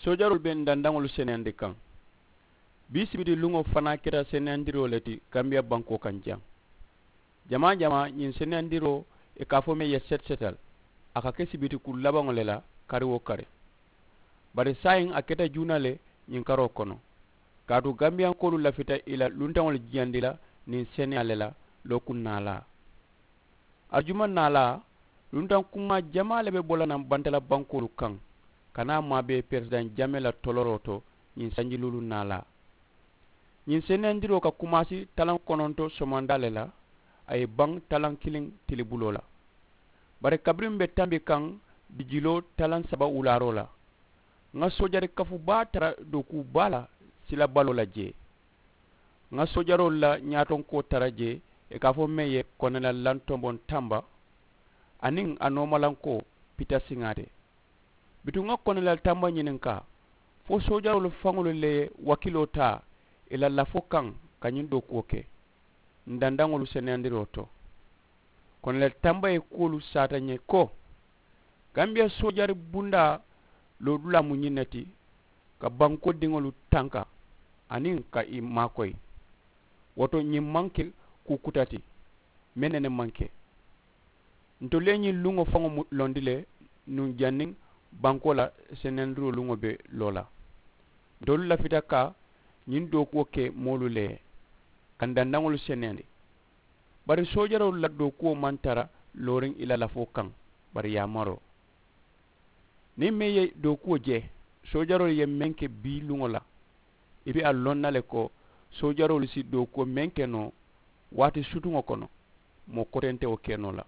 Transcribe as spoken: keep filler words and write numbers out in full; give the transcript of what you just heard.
Soojaroolu be n dandaŋolu seneyandi kaŋ. Bii sibiti luŋo fanaa keta seneyandiroo le ti gambiya bankoo kaŋ jaŋ. Jamaa jamaa ñiŋ seneyandiroo i ka a fo meŋ ye seti setal, a ka ke sibiti kulu labaŋo le la kari wo kari. Bari saayiŋ a keta juuna le ñiŋ karoo kono, kaatu gambiyankoolu lafita i la luntaŋolu jiyandi la niŋ seneyaa le la. Lookuŋ naalaa, arijuma naalaa, luntaŋ kumaa jamaa le be bo la naŋ bantala bankoolu kaŋ ka naa maabee peresidaŋ jamee la toloroo to. Ñiŋ sanji luulu naalaa, ñiŋ seneyandiroo ka kumaasi talaŋ kononto somandaa le la, a ye baŋ talaŋ kiliŋ tilibuloo la. Bari kabiriŋ m be tambi kaŋ dijiloo talaŋ saba wulaaroo la, ŋa soojari kafu baa tara dookuu baa la sila baloo la jee. Ŋa soojaroolu la ñaatonkoo tara jee, i ka a fo meŋ ye konela lantomboŋ tamba aniŋ a noomalankoo pita siŋaa te. Bituŋ ŋa konela tamba ñininkaa fo soojaroolu faŋolu le ye wakiloo taa i la lafoo kaŋ ka ñiŋ dookuwo ke n dandaŋolu seneyandiroo to. Konela tamba ye kuwolu saata n ye ko, gambiya soojari bundaa loodulaa mu ñiŋ ne ti, ka bankoo diŋolu tanka aniŋ ka i maakoyi. Wo to ñiŋ maŋ ke kuu kuta ti meŋ ne ne maŋ ke. Ntolu ye ñiŋ luŋo faŋo londi le nuŋ janniŋ bankoo la seneyandiroo luŋo be loo la. Ntolu lafita ka ñiŋ dookuwo ke moolu le ye ka n dandaŋolu seneyandi. Bari soojaroolu la dookuwo maŋ tara looriŋ i la lafoo kaŋ. Bari yaamaroo niŋ meŋ ye dookuwo je, soojaroolu ye meŋ ke bii luŋo la, i be a loŋ na le ko soojaroolu si dookuwo meŋ ke noo waati sutuŋo kono, moo kotentewo ke noo la.